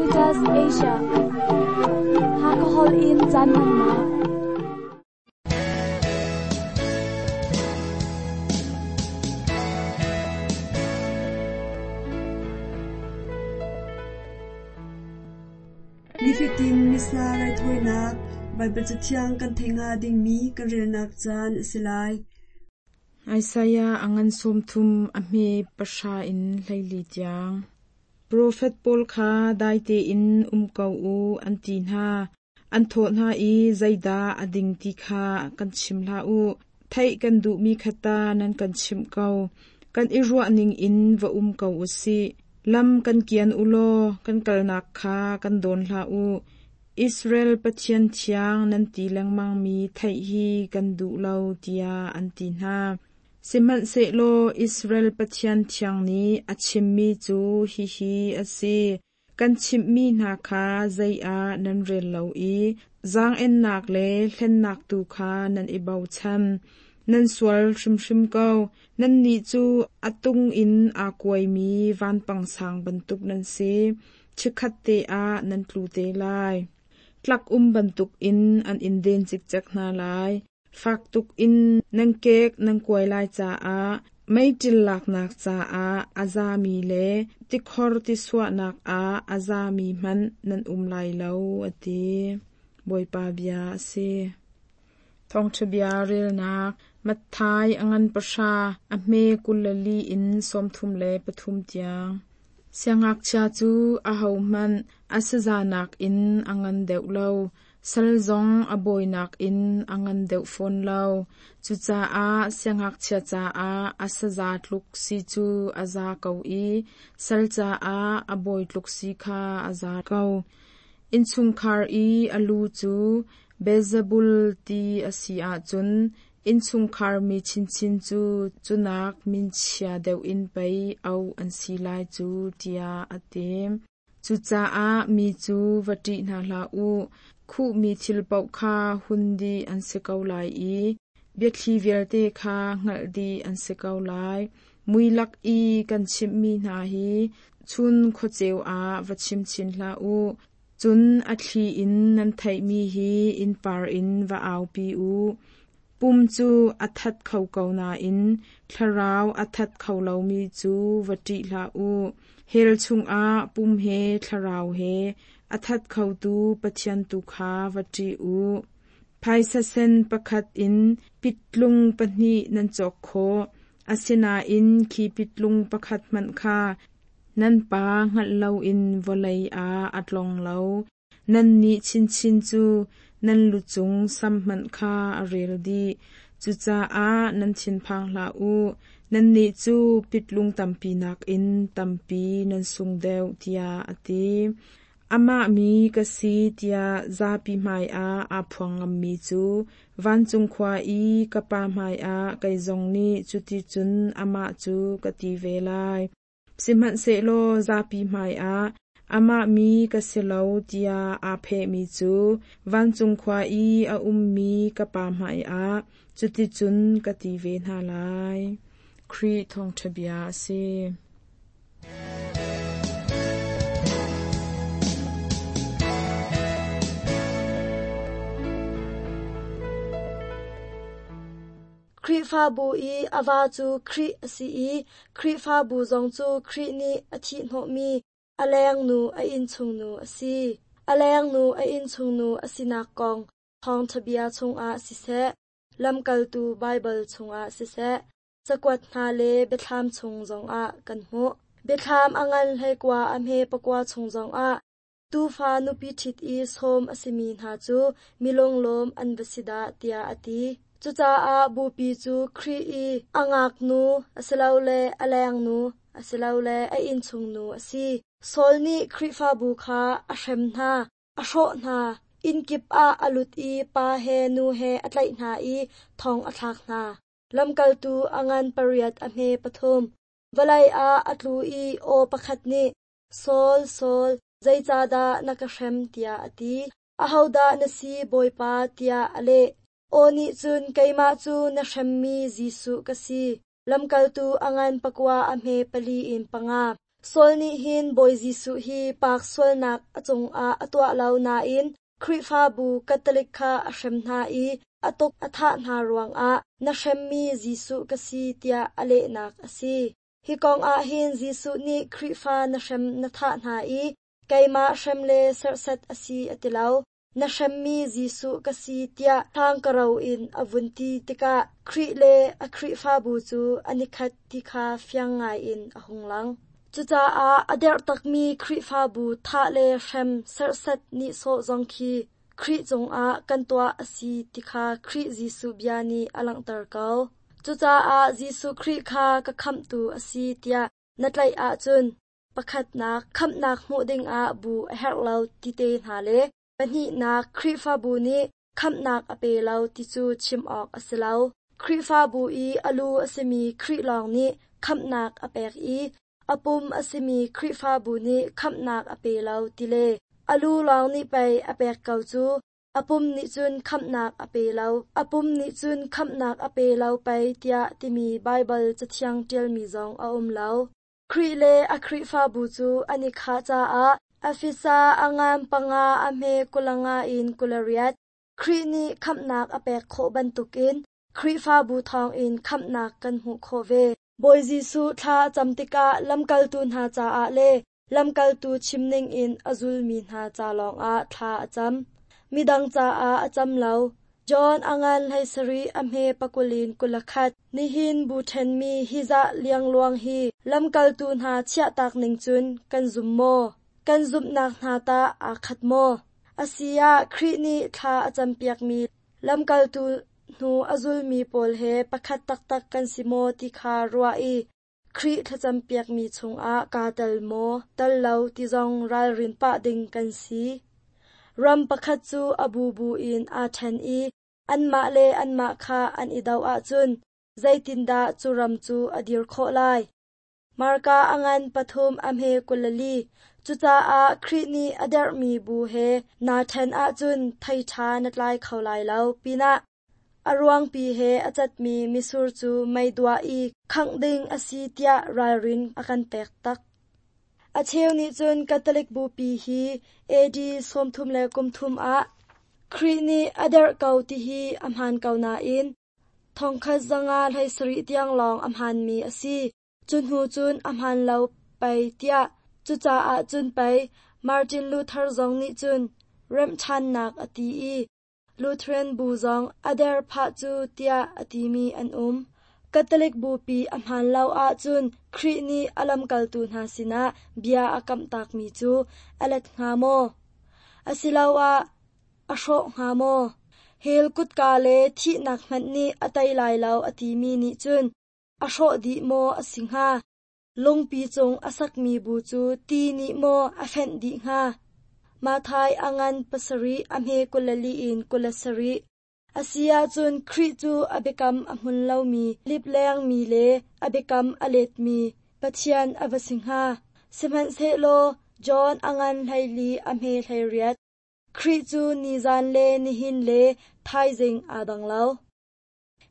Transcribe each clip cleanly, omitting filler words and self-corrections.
Reuters Asia. Hakha holh in caan hmannak. Nifatin Missa raithawinak Baibal Cathiang kan theih hnga dingmi kan relnak caan a si lai. Isaiah a ngan 30 a hme 10 in 14 tiang. Profet pawl kha dai tein um ko u an ti hna. An thawh hna i zeidah a ding ti kha kan chim hlah u. Theih kan duhmi kha ta nan kan chimh ko. Kan i ruah ning in va um ko u sih. Lam kan kian u law kan kalnak kha kan dawn hlah u. Israel Pathian thiang nan ti lengmangmi theih hi kan duh lo tiah an ti hna. Sihmanhsehlaw Israel Pathian thiang nih a chimmi cu hihi a si: Kan chimhmi hna kha zei ah nan rel lo i zaang-ennak le hlennak tu kha nan i bochan. Nan sual hrimhrim ko. Nannih cu a tung in aa kuaimi vanpang sang bantuk nan si. Chikkhatte ah nan tlu te lai. Tlak um bantukin an in den cikcek hna lai. Fak tuk in nan kek nan kuai lai caah meiṭil laknak caah a zami le tikhor tisuahnak ah a zami hmanh nan um lai lo, a ti. Bawipa bia a si. Thawngṭha bia relnak Matthai a ngan 10 a hme 24 in 33 tiang. Siangngakchia cu ahohmanh a saza nakin a ngan deuh lo, sal zong a bawi nakin a ngan deuh fawn lo. Cucaah siangngakchia caah a saza tluk si cu a za ko i sal caah a bawi tluk si kha a za ko. Innchungkhar i a lu cu Beelzebul ti a si ahcun innchungkhar mi chinchin cu cunak minchia deuh in pei auh an si lai cu tiah a ti. Cucaah mi cu va ṭih hna hlah u. Khuhmi thil paoh kha hun dih an si ko lai i biathli vialte kha hngalh dih an si ko lai. Mui lak i kan chimhmi hna hi chun khuaceu ah va chim chin hlah u. Cun a thli in nan theihmi hi innpar in va aupi u. Pum cu a that kho ko nain thlarau a that kho lomi cu va ṭih hlah u. Hell chungah pum he thlarau he a that khotu Pathian tu kha va ṭih u. Phaisa sen pakhat in pitlung pahnih nan cawk khawh. Asinain khi pitlung pakhat hmanh kha nan pa hngalh loin vawlei ah a tlong lo. Nannih chinchin cu nan lu cung sam hmanh kha a rel dih. Cucaah nan thinphang hlah u. Nannih cu pitlung tampi nakin tampi nan sung deuh, tiah a ti. Amah mi ka si tiah zapi hmaiah aa phuang ngammi cu vancung khua i ka Pa hmaiah kei zong nih cuticun amah cu ka ti ve lai. Sihmanhsehlaw zapi hmaiah amah mi ka si lo tiah aa phehmi cu vancung khua i a ummi ka Pa hmaiah cuticun ka ti ve hna lai. Khrih Thawngṭha Bia a si. Khrihfabu i a va cu Khrih a si i Khrihfabu zong cu Khrih nih a thihhnawhmi a lengnu a innchungnu a si. A lengnu a innchungnu a sinak kong Thawngṭha bia chungah siseh, Lamkaltu Baibal chungah siseh, cakuat hna le biathlam chung zongah kan hmuh. Biathlam a ngan 19 a hme 9 chung zongah Tuufa nupi ṭhit i sawm a simi hna cu mi lunglawm an va si dah tiah a ti. Cucaah bupi cu Khrih i a ngaknu asilole a lengnu asilole a innchungnu a si. Saul nih Khrihfabu kha a hrem hna, a hrawh hna, innkip ah a lut i pa he nu he a tlaih hna i thong a thlak hna. Lamkaltu a ngan 8 a hme 3. Vawlei ah a tlu i aw pakhat nih, Saul, Saul, zeicahdah na ka hrem tiah a ti. Ahodah na si, Bawipa, tiah a leh. Aw nih cun keimah cu na hremmi Jesuh ka si. Lamkaltu a ngan 9 a hme 4 in 5. Saul nih hin Bawi Jesuh hi paak sualnak a cungah a tuah lo nain Khrihfabu Catholic kha a hrem hna i a tuk a thah hna ruangah na hremmi Jesuh ka si tiah a lehnak a si. Hi kong ah hin Jesuh nih Khrihfa na hrem na thah hna i keimah hrem le serhsat a si a ti lo. Na hremmi Jesuh ka si tiah hlangkaro in a vun ti tikah Khrih le a Khrihfabu cu an i khat ti kha fiang ngaiin a hung lang. Cucaah a derh takmi Khrihfabu thah le hrem serhsat nihsawh zong khi Khrih cungah kan tuah a si ti kha Khrih Jesuh bia nih a langhter ko. Cucaah Jesuh Khrih kha ka khamhtu a si tiah na tlaih ahcun pakhatnak khamhnak hmuh dingah bu a herh lo ti te hna le pahnihnak Khrihfabu nih khamhnak a pe lo ti cu chim awk a si lo. Khrihfabu i a lu a simi Khrih lawng nih khamhnak a pek i a pum a simi Khrihfabu nih khamhnak a pe lo ti le a lu lawng nih pei a pek ko cu a pum nih cun khamhnak a pe lo, a pum nih cun khamhnak a pe lo pei tiah timi Baibal Cathiang ṭialmi zong a um lo. Khrih le a Khrihfabu cu an i khah caah Efesa a ngan 5 a hme 25 in 28 Khrih nih khamhnak a pek khawh bantukin Khrihfabu thawngin khamhnak kan hmuh khawh ve. Bawi Jesuh thla a cam tikah lamkaltu hna caah le lamkaltu chim ningin a zulmi hna ca lawngah thla a cam. Midang caah a cam lo. John a ngan 17 a hme 20 in 21 Nihin bu ṭhenmi hi zah liangluang hi lamkaltu hna chiahtak ning cun kan zum maw? Kan zumhnak hna tah aa khat maw? A si ah Khrih nih thla a campiakmi lamkaltu hnu a zulmi pawl he pakhat taktak kan si maw ti kha ruah i Khrih thlacampiakmi chungah kaa tel maw, tel lo ti zong ralrin pah ding kan si. Ram pakhat cu a bubu in aa ṭhen i anmah le anmah kha an i doh ahcun zeitindah cu ram cu a dir khawh lai? Marka a ngan 3 a hme 24 Cucaah Khrih nih a derhmi bu he naa ṭhen ahcun thei ṭha na tlai kho lai lo pinah a ruangpi he a catmi mitsur cu mei duah i khangh ding a si tiah ralrin a kan pek tak. A cheu nih cun Catholic Bupi hi AD 33 ah Khrih nih a derh ko ti hi a hmaan ko nain 1507 tiang lawng a hmaanmi a si. Cu hnu cun a hmaan lo pei tiah cucaah cun pei Martin Luther zong nih cun remh ṭhannak a ti i Lutheran bu zong a der phah cu tiah a timi an um. Catholic Bupi a hmaan lo ahcun Khrih nih a lamkaltu hna sinah bia a kamhtakmi cu a let hnga maw? Asiloah a hrawh hnga maw? Hell kutka le thihnak hmanh nih a tei lai lo a timi nih cun a hrawh dih maw a si hnga? Lungpi cung a sakmi bu cu ti nih maw a fenh dih hnga? Matthai a ngan 7 a hme 24 in 27 A si ahcun Khrih cu a biakam a hmun lomi, liplengmi le a biakam a letmi Pathian a va si hnga. Sihmanhsehlaw John a ngan 14 a hme 18 Khrih cu nizan le nihin le thaizing aa dang lo.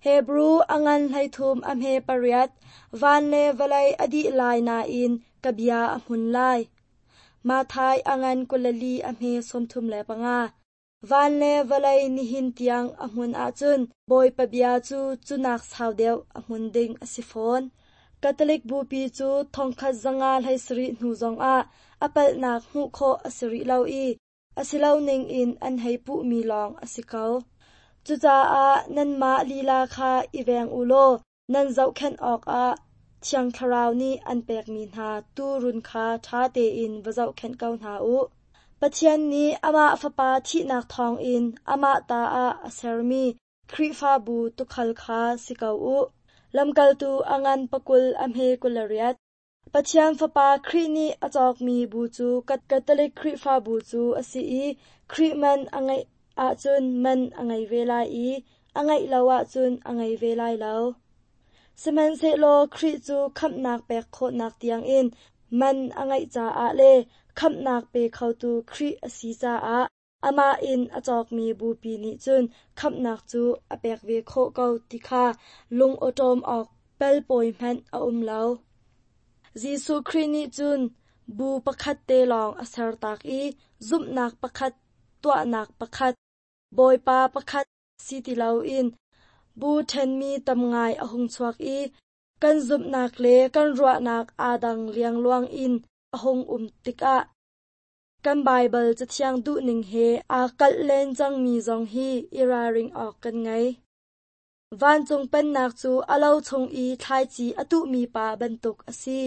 Hebru a ngan 13 a hme 8 Van le vawlei a dih lai nain ka bia a hmun lai. Matthai a ngan 24 a hme 35 Van le vawlei nihin tiang a hmun ahcun Bawipa bia cu cunak sau deuh a hmun ding a si fawn. Catholic Bupi cu 1570 hnu zongah a palhnak hmuh khawh a si rih lo i a si lo ningin an hei puhmi lawng a si ko. Cucaah nanmah lila kha i veng u law nan zohkhenh awkah Thiang Thlarau nih an pekmi hna tuurun kha ṭha tein va zohkhenh ko hna u. Pathian nih amah Fapa thihnak thawngin amah ta ah a sermi Khrihfabu tuukhal kha si ko u. Lamkaltu a ngan 20 a hme 28 Pathian Fapa Khrih nih a cawkmi bu cu Catholic Khrihfabu cu a si i Khrih man a ngeih ahcun man a ngei ve lai i a ngeih lo ahcun a ngei ve lai lo. Sihmanhsehlaw Khrih cu khamhnak pek khawhnak tiangin man a ngeih caah le khamhnak pe khotu Khrih a si caah amah in a cawkmi bupi nih cun khamhnak cu a pek ve khawh ko ti kha lung awṭawm awk pelpawi hmanh a um lo. Jesuh Khrih nih cun bu pakhat te lawng a sertak i zumhnak pakhat, tuahnak pakhat, Bawipa pakhat si ti loin bu ṭhenmi tam ngai a hung chuak i kan zumhnak le kan ruahnak aa dang liangluang in a hung um tikah kan Baibal Cathiang duhning he aa kalh len cangmi zong hi i ralring awk kan ngei. Vancung Pennak cu a lo chung i thlaici a tuhmi pa bantuk a si.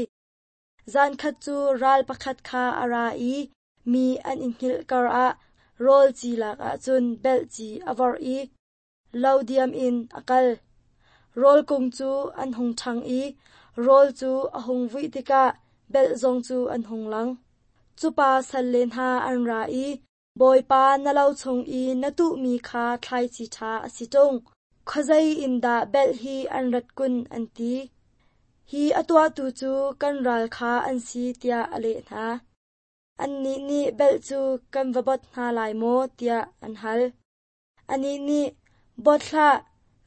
Zankhat cu ral pakhat kha a ra i mi an i hngilh karah rawl ci lak ahcun belh ci a vorh i lo diam in a kal. Rawl kung cu an hung ṭhang i rawl cu a hung vuih tikah belh zong cu an hung lang. Cu pa salle hna an ra i, Bawipa, na lo chung i na tuhmi kha thlaici ṭha a si ṭung. Khuazei in dah belh hi an rat kun, an ti. Hi a tuahtu cu kan ral kha an si, tiah a leh hna. Annih nih belh cu kan va bot hna lai maw, tiah an hal. Anih nih, Bot hlah,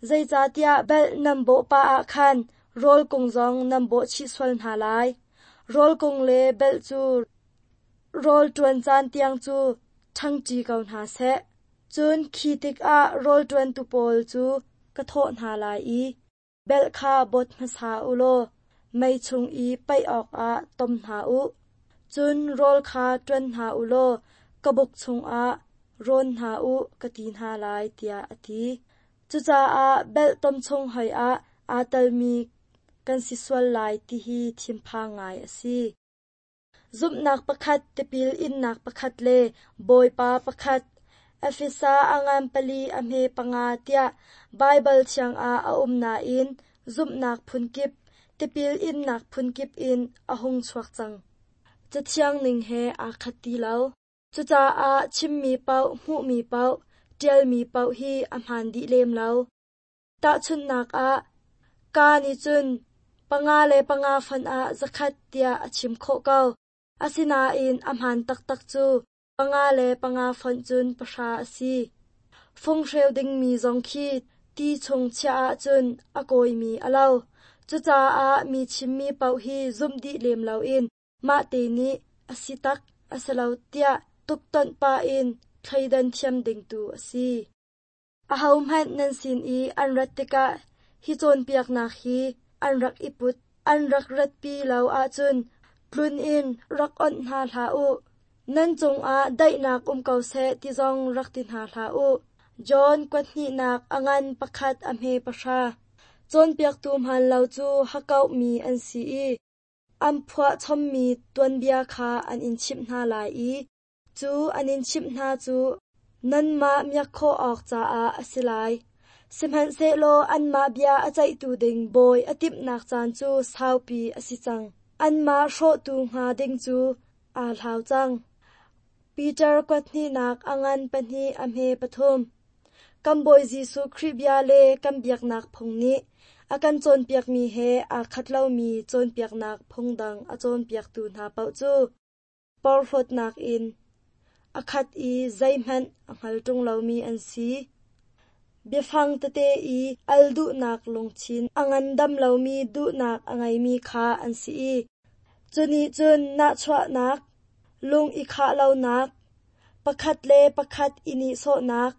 zeicahtiah belh nan bawh pah ah khan rawl kung zong nan bawh chih sual hna lai. Rawl kung le belh cu rawl ṭuan caan tiang cu ṭhangṭi ko hna seh. Cun khi tikah rawl ṭuantu pawl cu ka thawh hna lai i, Belh kha bawt hmasa u law mei chung i paih awkah tom hna u. Cun rawl kha ṭuan hna u law ka buk chungah rawn hna u, ka ti hna lai, tiah a ti. Cucaah belh tom chung hoi ah aa telmi kan si sual lai ti hi thinphang ngai a si. Zumhnak pakhat, tipil innak pakhat le Bawipa pakhat. Efesa a ngan pali a hme panga tiah Baibal thiang ah a um nain zumhnak phunkip, tipil innak phunkip in a hung chuak cang. Cathiang ning he aa khat ti lo. Cucaah chimmi paoh, hmuhmi paoh, ṭialmi paoh hi a hmaan dih lem lo. Tahchunhnak ah, kaa nih cun panga le panga fonh ah zakhat tiah a chim khawh ko. Asinain a hmaan taktak cu panga le panga fonh cun pahra a si. Funghreu dingmi zong khi ti chung chiah ahcun a kawimi a lo. Cucaah mi chimmi paoh hi zumh dih lem loin mahte nih a si tak a si lo tiah tuktonh pah in thleidan thiam ding tu a si. Ahohmanh nan sin i an rat tikah hi cawnpiaknak hi an rak i put, an rak ratpi lo ahcun tlun in rak onh hna hlah u. Nan cungah daihnak um ko seh ti zong rak ti hna hlah u. John kuathnihnak a ngan pakhat a hme pahra. Cawnpiaktu hmaan lo cu hakkauhmi an si i an phuahchommi tuanbia kha an in chimh hna lai i Cu an in chimh hna cu nanmah miak khawh awk caah a si lai. Sihmanhsehlaw anmah bia a ceihtu ding bawi a timhnak caan cu saupi a si cang. Anmah hrawhtu hnga ding cu aa hlau cang. Peter kuathnihnak a ngan pahnih a hme pathum. Kan Bawi Jesuh Khrih bia le kan biaknak phung nih a kan cawnpiakmi he aa khat lomi cawnpiaknak phung dang a cawnpiaktu hna paoh cu porhlawtnak in a khat i zeihmanh a hngal ṭung lomi an si. Biafang tete i al duhnak lungthin a ngandam lomi duhnak a ngeimi kha an si i cu nih cun nahchuahnak, lung i khah lonak, pakhat le pakhat i nihsawhnak,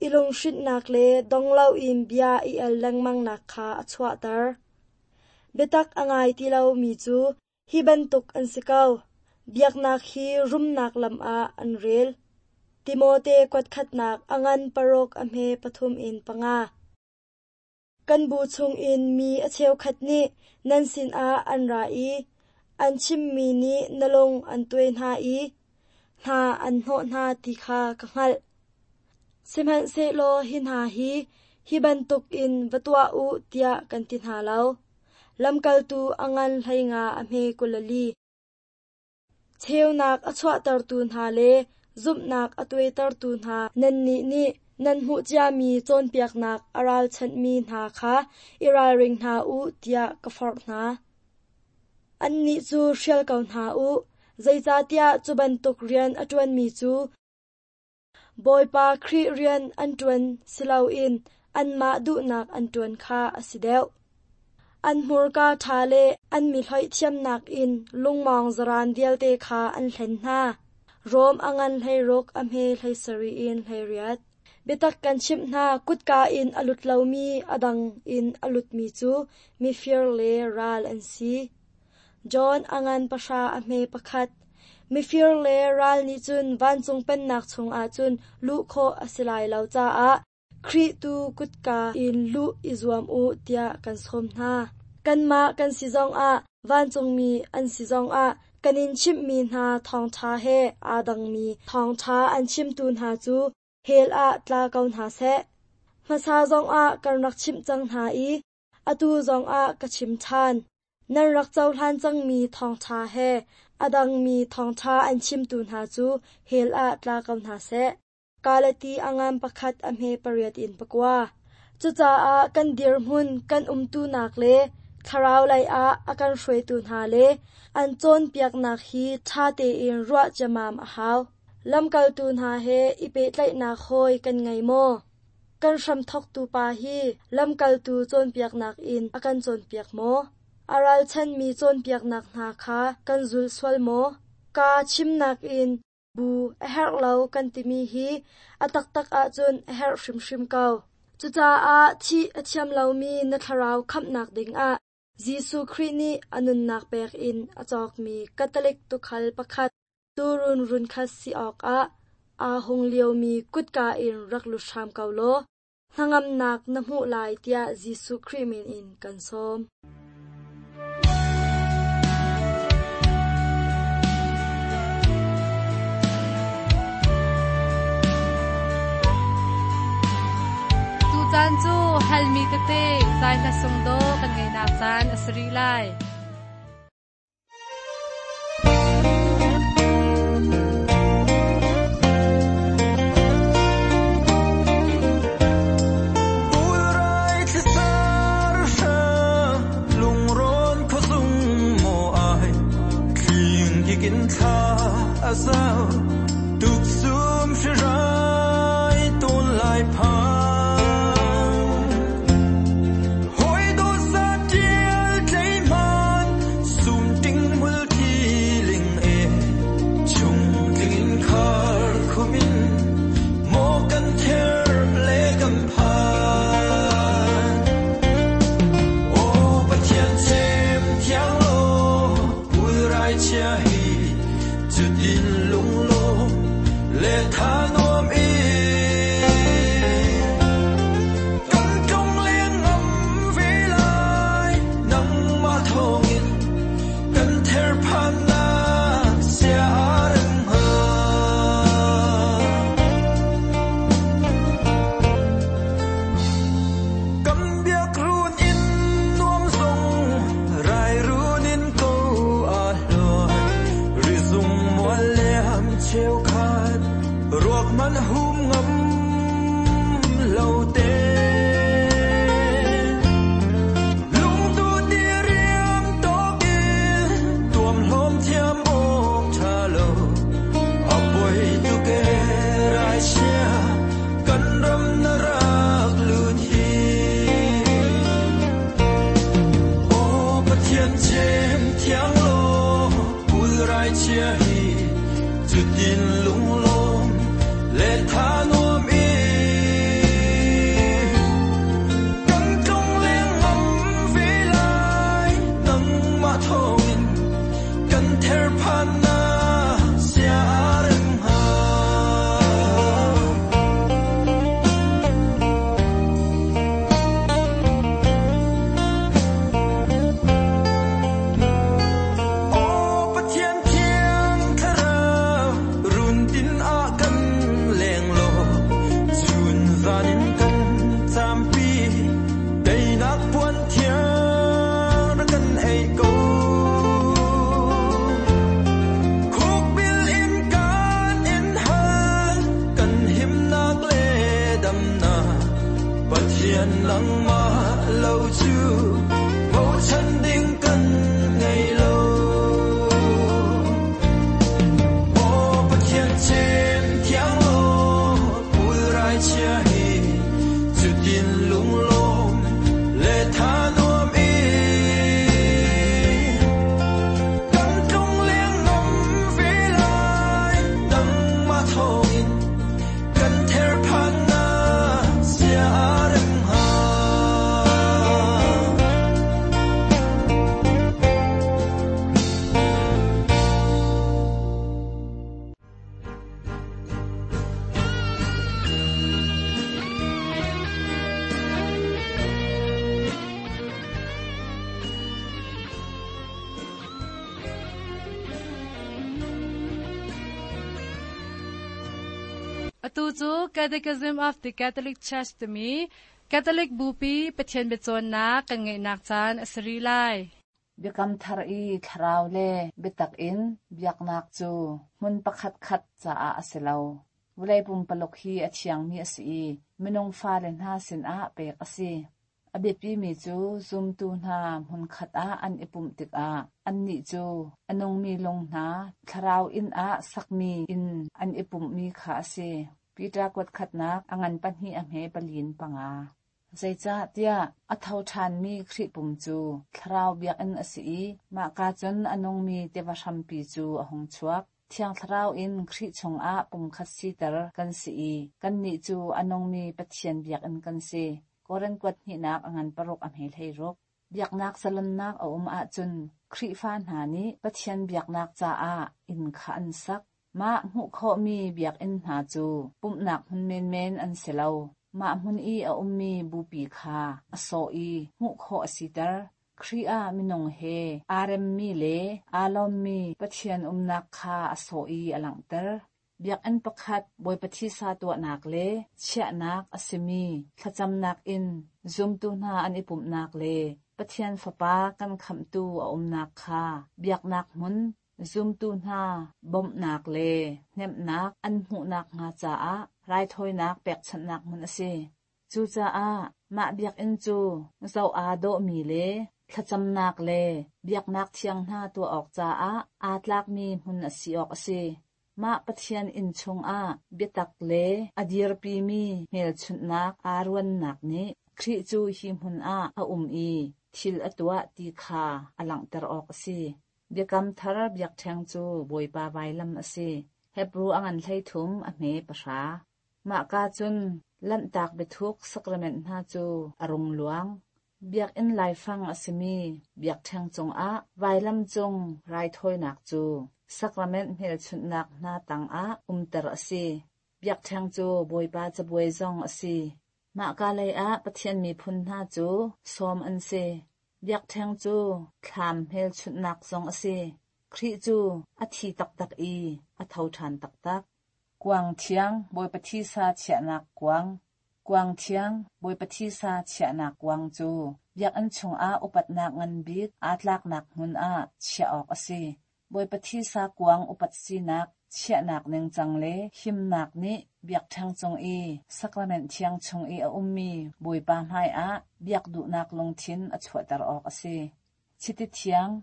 i lunghrinhnak le dong loin bia i al lengmangnak kha a chuahter. Biatak a ngai ti lomi cu Hi bantuk an si ko. Biaknak hi rumnak lam ah an rel. Timote kuatkhatnak a ngan paruk a hme pathum in panga. Kan bu chungin mi a cheukhat nih nan sinah an ra i an chimmi nih na lung an tuai hna i hna an hnawh hna ti kha ka hngalh. Sihmanhsehlaw hi hna hi hi bantukin va tuah u tiah kan ti hna lo. Lamkaltu a ngan hleinga a hme 24. Cheunak a chuahtertu hna le zumhnak a tuaitertu hna nannih nih nan hmuh ciami cawnpiaknak a ralchanhmi hna kha i ralring hna u tiah ka forh hna. Annih cu hrial ko hna u, zeicahtiah cu bantuk rian a ṭuanmi cu Bawipa Khrih rian an ṭuan si loin anmah duhnak an ṭuan kha a si deuh. An hmurka ṭha le an mi hloih thiamnak in lungmawng zaraan vialte kha an hlen hna. Rom a ngan 16 a hme 17 in 18. Biatak kan chimh hna, kutka in a lut lomi a dang in a lutmi cu mifir le ral an si. John a ngan 10 a hme 1. Mifir le ral nih cun vancung pennak chungah cun luh khawh a si lai lo caah Khrih tu kutka in luh i zuam u tiah kan sawm hna. Kanmah kan si zongah vancungmi an si zongah kan in chimhmi hna thawngṭha he aa dangmi thawngṭha an chimtu hna cu hell ah tla ko hna seh. Hmasa zongah kan rak chimh cang hna i atu zongah ka chim ṭhan. Nan rak cohlan cangmi thawngṭha he a dangmi thawngṭha an chimtu hna cu hell ah tla ko hna seh. Galati a ngan 1 a hme 8 in 9. Cucaah kan dirhmun kan umtunak le thlarau lei ah a kan hruaitu hna le an cawnpiaknak hi ṭha tein ruah ciammam a hau. Lamkaltu hna he i pehtlaihnak hawi kan ngei maw? Kan hramthawktu pa hi lamkaltu cawnpiaknak in a kan cawnpiak maw? A ralchanmi cawnpiaknak hna kha kan zul sual maw? Kaa chimnak in bu a herh lo kan timi hi a taktak ahcun a herh hrimhrim ko. Cucaah thih a thiam lomi na thlarau khamhnak dingah Jesuh Khrih nih a nunnak pek in a cawkmi Catholic tuukhal pakhat tuurun runkhat si awkah aa hung liomi kutka in rak lut hram ko law hnangamnak na hmuh lai tiah Jesuh Khrih min in kan sawm. Tucaan cu halmi tete zai hla sung dawh kan ngeihnak caan a si rih lai. Cutin lunglawm le tha nuam in. Atu cu Catechism of the Catholic Church timi Catholic Bupi Pathian biacawnnak kan ngeihnak caan a si rih lai. Biakam Thar i thlarau le biatak in biaknak cu hmun pakhatkhat caah a si lo. Vawlei pumpaluk hi a thiangmi a si i minung fale hna sinah pek a si. A biapimi cu zumtu hna hmunkhat ah an i pumh tikah annih cu a nungmi lung hna thlarau inn ah sakmi inn an i pumhmi kha a si. Peter kuatkhatnak a ngan pahnih a hme palin panga. Zeicahtiah a tho ṭhanmi Khrih pum cu thlarau biakinn a si i mahka cun a nungmi tiva hrampi cu a hung chuak. Thiang Thlarau in Khrih chungah pumkhat siter kan si i kannih cu a nungmi Pathian biakinn kan si. Korin kuat hnihnak a ngan paruk a hme hleiruk. Biaknak zalonnak a um ahcun Khrihfa hna nih Pathian biaknak caah inn kha an sak. Mah hmuh khawhmi biakinn hna cu pumhnak hmun menmen an si lo. Mah hmun i a ummi bupi kha a sawh i hmuh khawh a siter. Khrih ah minung he aa remmi le aa lawmmi Pathian umnak kha a sawh i a langhter. Biakinn pakhat Bawipa thisa tuahnak le chiahnak a simi thlacamnak in zumtu hna an i pumhnak le Pathian Fapa kan Khamhtu a umnak kha biaknak hmun zumtu hna bawmhnak le hnemhnak an hmuhnak hnga caah raithawinak pekchanhnak hmun a si. Cucaah mah biakinn cu zoh aa dawhmi le thlacamnak le biaknak thiang hna tuah awk caah aa tlakmi hmun a si awk a si. Mah Pathian inn chungah biatak le a dirpimi hmelchunhnak aa ruannak nih Khrih cu hi hmun ah a um i thil a tuah ti kha a langhter awk a si. Biakam Thar biakṭheng cu Bawipa vailam a si. Hebru a ngan 13 a hme pahra. Mahka cun Lanhtak biathuk sakrament hna cu a rung luang. Biakinn laifang a simi biakṭheng cungah vailam cung raithawinak cu sakrament hmelchunhnak hna tangah umter a si. Biakṭheng cu Bawipa cabuai zong a si. Mahka leiah Pathian miphun hna cu sawm an si. Biakṭheng cu thlam hmelchunhnak zong a si. Khrih cu a thi taktak i a tho ṭhan taktak. Kuang thiang, Bawipa thisa chiahnak kuang. Kuang thiang, Bawipa thisa chiahnak kuang cu biakinn chungah upatnak ngan bik aa tlaknak hmun ah chiah awk a si. Bawipa thisa kuang upat sinak chiahnak ningcang le himnak nih biakṭheng cung i sakrament thiang chung i a ummi Bawipa hmaiah biak duhnak lungthin a chuahter awk a si. Chiti thiang,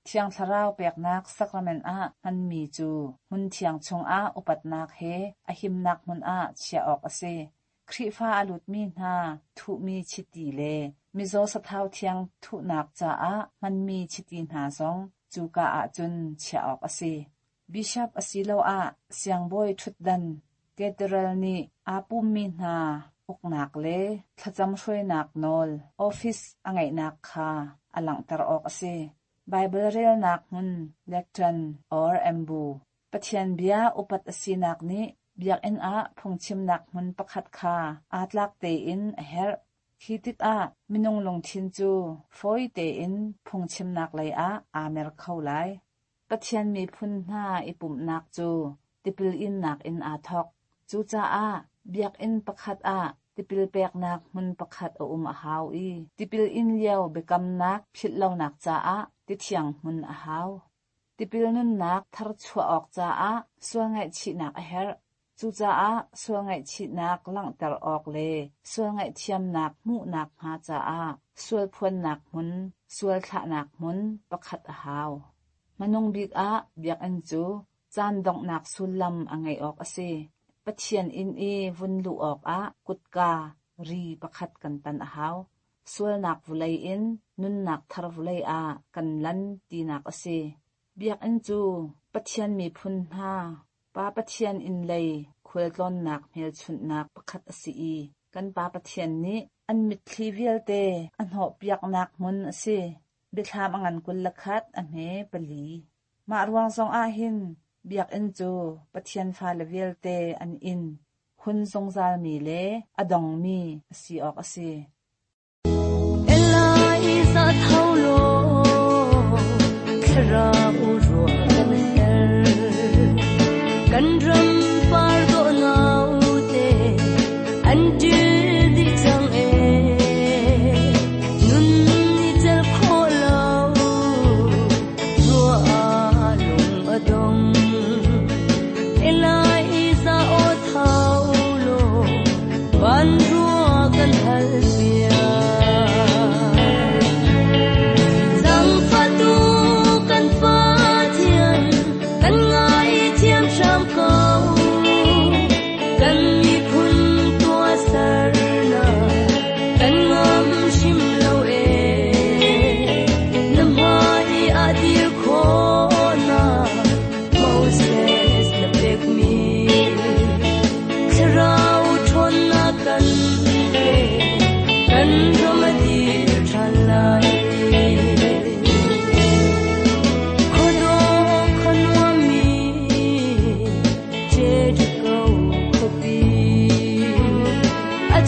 Thiang Thlarau peknak sakrament ah hmanmi cu hmun thiang chungah upatnak he a himnak hmun ah chiah awk a si. Khrihfa a lutmi hna thuhmi chiti le mizaw sathau thiang thuhnak caah hmanmi chiti hna zong cuka ah cun chiah awk a si. Bishop asiloah siangbawi ṭhutdan cathedral nih aa pummi hna uknak le thlacam hruainak nawl office a ngeihnak kha a langhter awk a si. Baibal relnak hmun lectern or ambu Pathian bia upat a sinak nih biakinn ah phungchimnak hmun pakhat kha aa tlak tein a herh. Khi tikah minung lungthin cu fawi tein phungchimnak lei ah aa mer kho lai. Pathian miphun hna i pumhnak cu tipil innak in aa thawk. Cucaah biakinn pakhat ah tipil peknak hmun pakhat a um a hau i tipil in lio biakamnak philhlonak caah tithiang hmun a hau. Tipil nunnak tharchuah awk caah sual ngaihchihnak a herh. Cucaah sual ngaihchihnak langhter awk le sual ngaihthiamnak hmuhnak hnga caah sual phuannak hmun, sual thlahnak hmun pakhat a hau. Hmanung bik ah biakinn cu caan donghnak sullam a ngeih awk a si. Pathian inn i vun luh awkah kutka, ri pakhat kan tan a hau. Sualnak vulei in nunnak thar vulei ah kan lan tinak a si. Biakinn cu Pathian miphun hna Pa Pathian inn lei khualtlawnnak hmelchunhnak pakhat a si i kan Pa Pathian nih an mitthli vialte a hnawhpiaknak hmun a si. Biathlam a ngan 21 a hme pali. Mah ruang zong ah hin biakinn cu Pathian fale vialte an inn, hun zungzalmi le a dongmi a si awk a si. Kan ram par dawh nau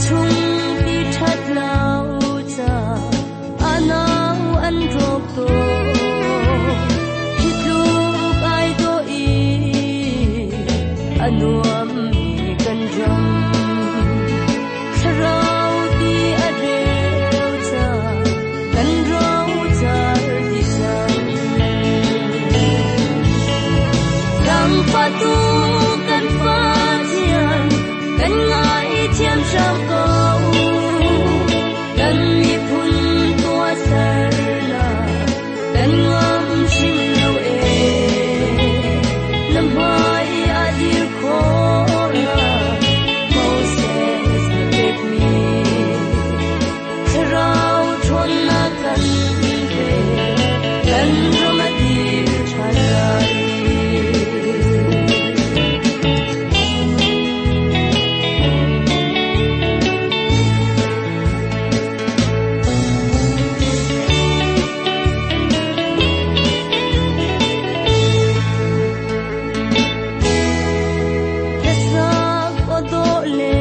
chung ti that lo cha anau an rok to hi tluk ai do i anuam mi kan ram thlarau ti a reu cha kan rau char ti cang Zangfatu kan Pathian kan ngai thiam hram ko kan miphun tua ser na kan ngam hrim lo e na hmai a dir kho na Moses na pek mi thlarau ṭhawn na kan pe kan ram a dir ṭhan lai. Hlasak aw dawh le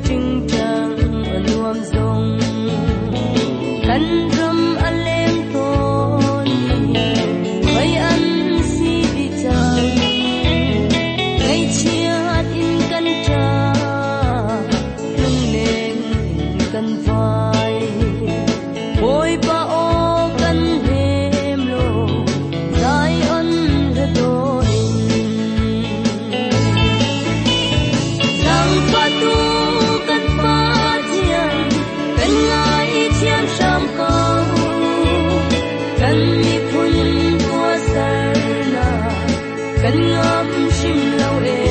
ṭingṭang a nuam zong kan ram a leng tawn i khoi an si dih cang. Ngaihchiat in kan ṭah, lungleng in kan vai. Bawipa aw kan hnem law, Zion hla dawh in. Zangfatu kan Pathian, kan ngaithiam hram ko. Kan miphun tua ser na, kan ngam hrim lo e.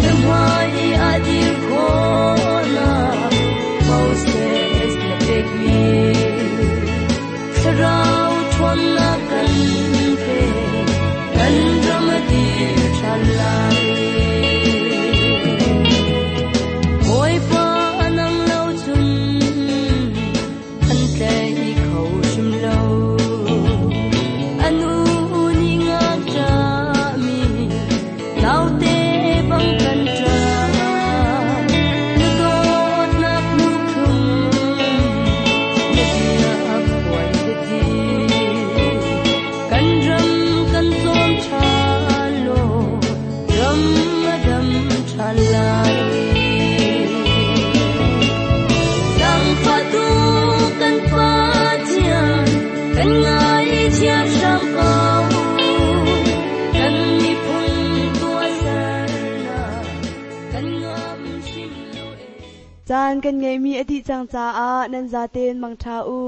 Na hmai a dir kho na, Moses na pek mi. Thlarau ṭhawn na kan pe, kan ram a dir ṭhan lai. Bawipa nang lo cun an tlai kho hrim lo. Anu nih ngakṭahmi naute bang kan ṭah. Na dawtnak hnu thlum, na bia phuan biati. Kan ram kan cawm ṭhan law, ram a dam ṭhan lai. Zangfatu kan Pathian, kan ngaithiam hram ko. Kan miphun tua ser na, kan ngam hrim lo e. Caan kan ngeihmi a dih cang caah nan zaten mangṭha u.